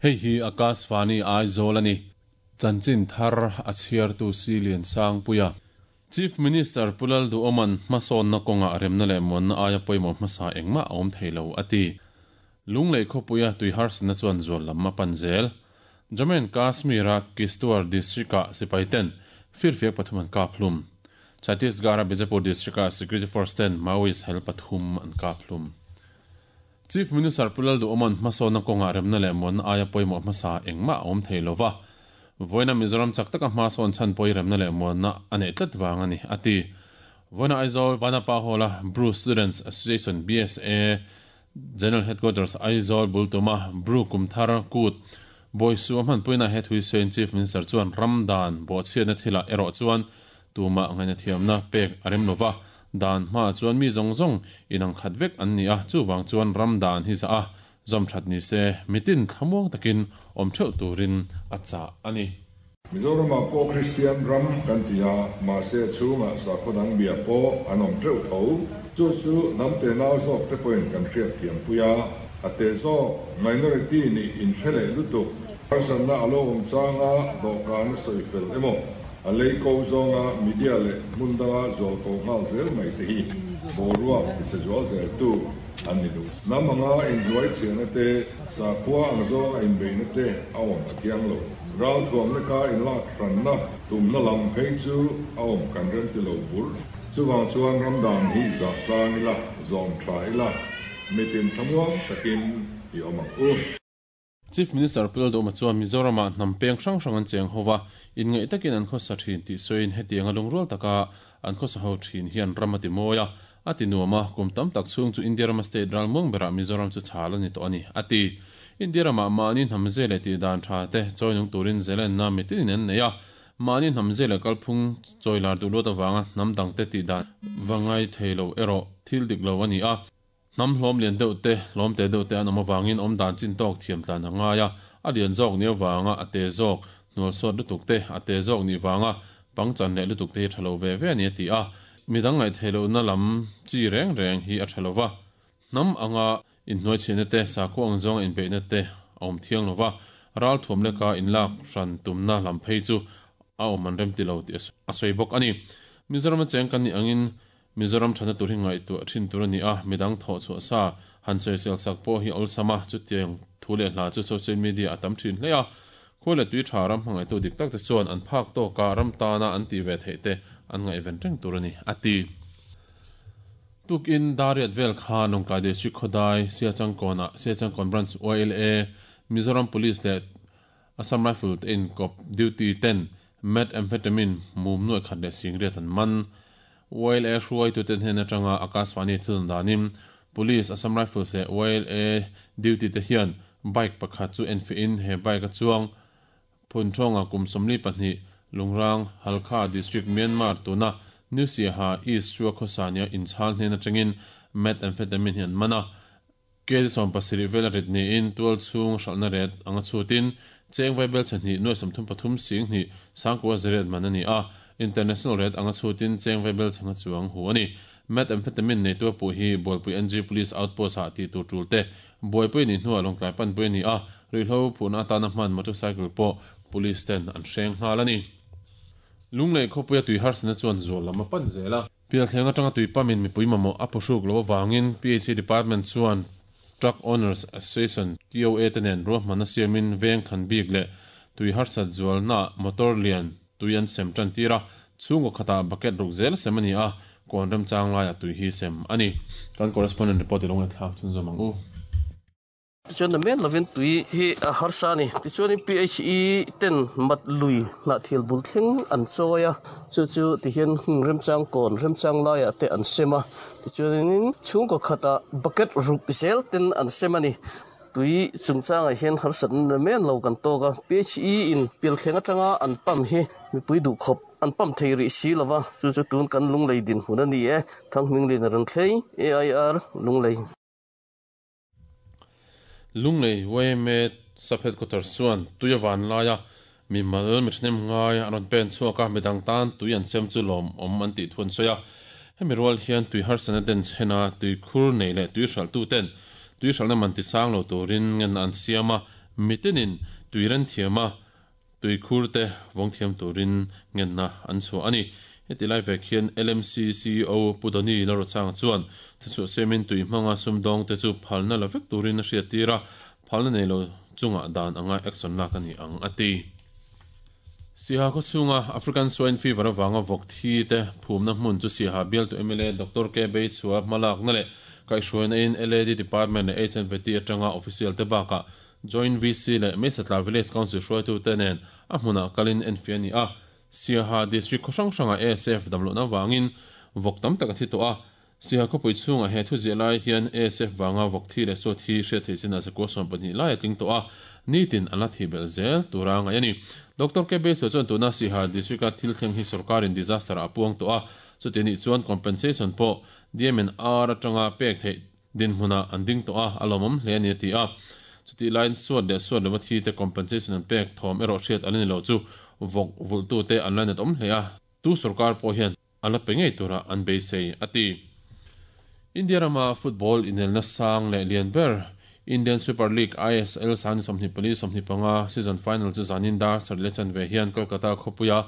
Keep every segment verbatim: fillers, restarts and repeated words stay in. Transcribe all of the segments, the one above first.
Hei hi Akashvani Aizawl ani. Chanchin thar a chhiartu si lian sang puia. Chief Minister Pulal du Oman hmasawn na kawnga remna leh muanna aia pawimawh hmasa engmah a awm thei lo a ti. Lunglei khawpuia tui harsatna chuan zual lam a pan zel. Jammu and Kashmir-a Kishtwar district-ah sipai ten firfiak pathum an kap hlum. Chhattisgarh-a Bijapur district-ah security force ten Maoist hel pathum an kap hlum. Chief Minister Pulal du Oman hmasawn na kawnga remna leh muanna aia pawimawh hmasa engmah a awm thei lova. Voina Mizoram chak taka hmasawn chhan pawi remna leh muanna a neih tlat vang a ni a ti. Voina Aizawl Vanapa Hall-a Bru Students Association B S A General Headquarters Aizawl bultuma Bru Kumthar Kut Bawisu a hmanpuina he thui sawiin Chief Minister chuan ramdan bawhchhiatna thilah erawh chuan tumah ngaihna thiamna pek a rem lova. Dan hmaah chuan mi zawng zawng inang khat vek an ni a, chuvang chuan ramdan hi zah a zawm that ni se mitin thlamuang takin awm theuh turin a chah a ni. Mizoramah pawh Kristian ram kan ti a, mahse chhungah sakhaw dang bia pawh an awm teuh tho. Chu chu hnam te nau zawk te pawhin kan hriat thiam pui a, a te zawk minority nih inhre leh lutuk. Harsatna a lo awm changa dawhkan a sawi fel emaw, a lei ko zawnga media leh hmun danga zual ko nghal zel mai te hi boruak tichhe zual zel tu an ni duh. Hnam anga inhnuai chhiahna te, sakhua ang zawnga inbeihna te a awm a thiang lo. Ral thuamna ka inlak hranna tumna lam phei chu a awm kan rem ti lo bur. Chuvang chuan ramdan hi zah tlang ila, zawm tha ila, mitin thlamuang takin i awm ang u. Chief Minister Pulal Dawma chuan Mizoramah hnam peng hrang hrang an cheng hova, inngaih takin an khawsa thin tih sawiin hetiang a lungrual taka an khawsa ho thin hian ram a ti mawi a, a ti nuam a, kum tam tak chhung chu India rama state ral muang berah Mizoram chu chhal a ni tawh a ni, a ti. India ramah mahni hnam zel leh tih dan tha te chawi nung turin zelenna mitinin an nei a, mahni hnam zel leh kalphung chawi lar duh luat avanga hnam dang te tih dan va ngai thei lo erawh thil dik lo a ni a. Hnam hlawm lian deuh te, hlawm te deuh te an awm avangin awm dan chin tawk thiam tlan a ngai a, a lian zawk ni avanga a te zawk, hnual suat lutuk te, a te zawk ni vanga pangchan leh lutuk te hi tha lo ve ve a ni a ti a. Midang ngaih theih lohna lam chi reng reng hi a tha lova. Hnam anga inhnuai chhiahna te, sakhua ang zawnga inbeihna te a awm thiang lova, ral thuam leka inlak hran tumna lam phei chu a awm an rem ti lo tih a sawi bawk a ni. Mizoram a cheng kan nih angin Mizoram thana tur hi ngaihtuah thin tur a ni a, midang thawh chhuah sa han sawisel sak pawh hi awlsam a, chutiang thu leh hla chu social media a tam thin hle a. Khawi leh tui tha ram hmangaihtu dik tak te chuan an phak tawka ram tana an tih ve theih te an ngaihven reng tur a ni, a ti. Tukin Dariat vel kha Lawngtlai District Khodai, Siachangkawnah Siachangkawn Branch Y L A, Mizoram Police leh Assam Rifle te inkawp duty ten methamphetamine mum nuai khat leh singriat an man. Y L A hruaituten hnen atanga Akashvani thudun danin Police, Assam Rifles leh Y L A duty te hian bike pakhat chu enfiahin he bike a chuang Phunthonga kum sawmli pahnih Lungrang, Halkha District, Myanmar tuna New Siaha East Chua khawsania inchhal hnen atangin methamphetamine hi an man a. Kg sawm pasarih vel a rit niin tual chhung hralhna ret anga chhutin cheng vaibel chhahnih nuai sawmthum pathum sing hnih sangkua zariat man a ni a, international ret anga chhutin cheng vaibel chhanga chuang hu a ni. Methamphetamine nei tua puh hi Bualpui N G Police Outpost ah tih tur tul te Buaipui ni hnuah Lawngtlai panpui a ni a, ruihhlo phurhna atana hman motorcycle pawh police ten an hreng nghal a ni. Lunglei khawpuia tui harsatna chuan zual lam a pan zel a. Pialthleng atanga tui pamin mipui mamawh a phuhruk lo avangin P H C Department chuan Truck Owners Association T O A te nen ruahmanna siamin veng than bik leh tui harsat zualna motor lian tui an sem tan tir a, chhungkaw khatah bucket ruk zel sem a ni a, kawn remchang laiah tui hi sem a ni. Kan correspondent report i lo ngaihthlak chhun zawm ang u. Tichuan na men lovin tui hi a harsa a ni. Tichuanin P H E ten mat lui hnah thil bul thleng an chawi a, chu chu tihian hmun remchang kawn remchang laiah te an sem a. Tichuanin chhungkaw khatah bucket ruk zel ten an sem a ni. Tui chungchangah hian harsatna na men lo kan tawk a. P H E in pialthleng atanga an pump hi mipui duh khawp an pump thei rih si lova, chu chu tun kan lunglei din hmun a ni e. Thangming lin a rawn thlei A I R Lunglei. Lunglei Y M A Sub Headquarters chuan tui a van laia mi mal mi thahnem ngai an rawn pen chhuak a, midang tan tui an sem chu lawm awm an tih thu an sawi a. Hemi rual hian tui harsatna den chhena tui khur nei leh tui hralh tu ten tui hralhna man ti sang lo turin ngen an siam a, Mitinin tuiran thiama tuikhur te vawng thiam turin ngenna an chhuah ani. Heti lai vek hian L M C C E O Pudoni Larochang chuan chu semin tui hmanga sumdawng te chu phalna la vek turin a hriat tira phalna nei lo chunga dan anga action lak ani ang ati. Siha ko chunga African swine fever awanga vawk thi te phumna hmun chu Siha bial tu M L A Doctor K Bei chua hmalak na le kai hruaina in L A D department le H N V T atanga official te baka joint V C le Mesatla Village Council hruaitu te nen a hmuna kalin enfiani a. Siha district khawhrang hranga A S F damlo na wangin vawk tam tak a thi tawh a. Siha khawpui chhunga he thu zia lai hian A S F wanga vawk thi le saw thi hriat thei chin a zakua sawm pahnih lai a tling tawh a. Nitin an la thi bel zel tura ngai ani. Doctor K Bei chuan tuna Siha district a thil thleng hi sarkarin disaster a puang tawh a. Chuti ni chuan compensation pawh D M N R atanga pek thei din hmuna an ding tawh a alawmawm hle ani a ti a. Chuti line suat leh suat lova thi te compensation an pek thawm erawh hriat an ni lo chu vawk vultu te an la net awm hle a. Tu sarkar pawh hian an la pe ngei tura an beisei ati. India rama football inelna sang leh lian ber Indian Super League I S L san sawmhnih pali sawmhnih panga season final chu zanin dar sarih leh chanve hian Kolkata khawpuia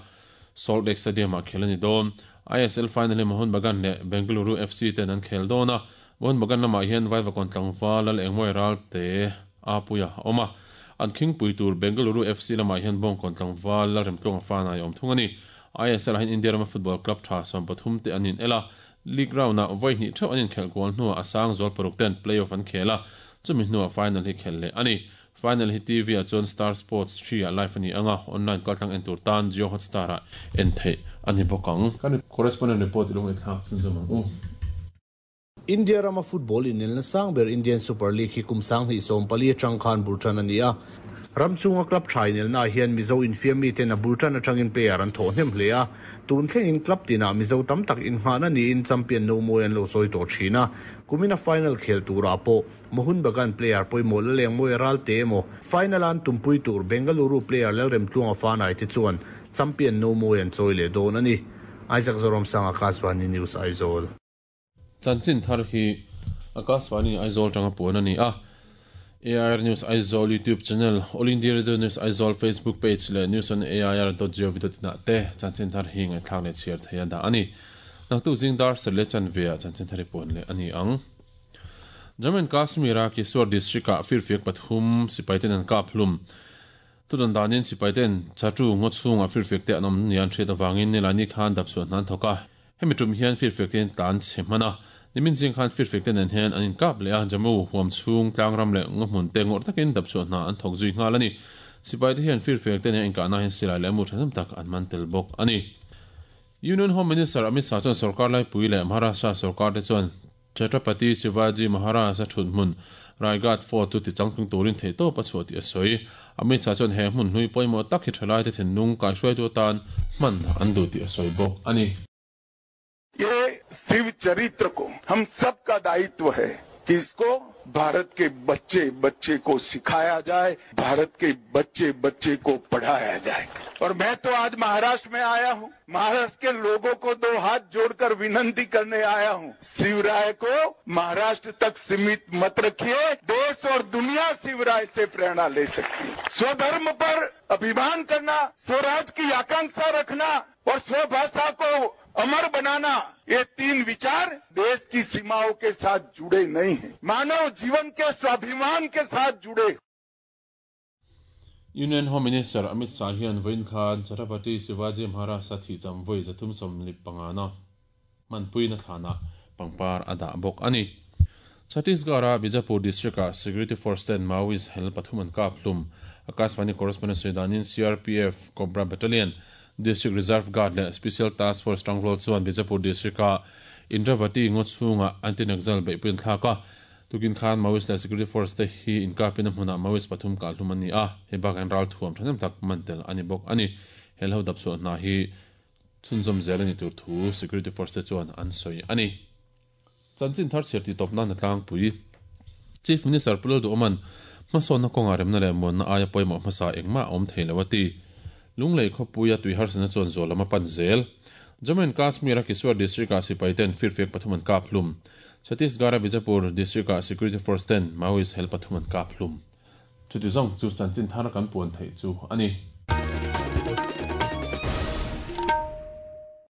Salt Lake Stadium ah khel ani dawn. I S L final hi Mohun Bagan leh Bengaluru F C ten an khel dawn a. Mohun Bagan lamah hian Vaivakawn tlangval lal engmawi ral te a puia a awm a. An khingpui tur Bengaluru F C lamah hian Bawngkawn tlangval lal remtluang fan ai awm thung ani. I S L ah hian India rama football club tha sawm pathum te an in ela. League round ah vawi hnih theuh an inkhel kual hnuah a sang zual paruk ten playoff an khel a. Chumi hnuah final hi khel leh ani. Final hi T V ah chuan Star Sports three ah live ani anga online kaltlang en tur tan Jio Hotstar ah en theih ani bawk ang. Kan correspondent report ilung ei thlak chun zawm ang u. India rama football inelna sangber Indian Super League hi kum sang hnih sawm pali atang khan bultan ani a. Ramchunga club tha inelna hian Mizo infiam mi ten a bultan atangin player an thawh hnem hle a. Tun thlengin club tina Mizo tam tak inhngahna niin champion no mawi an lo chawi tawh thin a. Kumina final khel tura pawh Mohun Bagan player pawimawh la leng mawi ral te emaw final an tumpui tur Bengaluru player Lalremtluanga fanai te chuan champion no mawi an chawi leh dawn ani. Isaac Zoram Sang Akashvani News Aizawl. Chanchin thar hi Akashvani Aizawl tanga puan ani a. A I R News Aizawl YouTube channel, All India Radio News Aizawl Facebook page le news on A I R dot gov dot in te chanchin thar hi ngai thlak le chhiar theia da ani. Naktu zingdar serle chanvea chanchin thari puan le ani ang. Jammu and Kashmir a Kiswar district a firfiak pathum sipaiten an kap hlum. Tudan danin sipaiten chatu ngochhung a firfiak te anom nian thret awangin nilani khan dapsuan nan thoka. Hemi tum hian firfiak ten tan chhemana. Nimin jing khan firfiak ten an hian an inkap le a Jammu huam chhung tlangram le ngohmun te ngor takin dapsuan na an thok zui ngal ani. Sipai te hian firfiak ten in ka na hin silai le mu thanam tak an man tel bawk ani. Union Home Minister Amit Shah chuan sarkar lai pui le Maharashtra sarkar te chuan Chhatrapati Shivaji Maharaj a thut hmun Raigad Fort chu ti changtlung turin thei tawp a chhuah tih a sawi. Amit Shah chuan he hmun hlui pawimawh tak hi thalai te thinlung kai hruai tu atan hman an duh tih a sawi bawk ani. ये शिव चरित्र को हम सबका दायित्व है कि इसको भारत के बच्चे बच्चे को सिखाया जाए, भारत के बच्चे बच्चे को पढ़ाया जाए। और मैं तो आज महाराष्ट्र में आया हूं, महाराष्ट्र के लोगों को दो हाथ जोड़कर विनती करने आया हूं, शिवराय को महाराष्ट्र तक सीमित मत रखिए, देश और दुनिया शिवराय से प्रेरणा ले सकती है। स्वधर्म पर अभिमान करना, स्वराज की आकांक्षा रखना और स्वभाषा को अमर बनाना, ये तीन विचार देश की सीमाओं के साथ जुड़े नहीं हैं, मानव जीवन के स्वाभिमान के साथ जुड़े। Union Home Minister Amit Shah hian vawiin khan Chhatrapati Shivaji Maharaj thi chamvawi zathum sawmli pangana manpuina thlana pangpar a dah bawk ani. Chhattisgarh a Bijapur district a Security Force ten Maoist hel pathum an kap hlum. Akashvani correspondent Sudanin C R P F Cobra Battalion District Reserve Guard le Special Task Force Tangrol chuan Bijapur district a Indravati ngochhunga anti-Naxal beihpui an thlak a. Tukin khan Maoist le Security Force te hi inkapin a hmunah Maoist pathum kal hlum ani a. He bak an ral thuam thanem tak mantel ani bawk ani. Hel ho dapsuan hna hi chhunzawm zel ani tur thu Security Force te chuan an sawi ani. Chanchin thar chhiar ti tawpna na tlangpui. Chief Minister Pulal Duoman hmasawnna kawnga remna leh muanna aia pawimawh hmasa engmah a awm thei lo a ti. Lunglei khawpuia tui harsana chuan zual lama pan zel. Jammu and Kashmir a Kiswar district a sipai ten firfiak pathum an kap hlum. Chhattisgarh a Bijapur district a Security Force ten Maoist hel pathum an kap hlum. Chuti zawng chu chanchin thar kan puan theih chu a ni.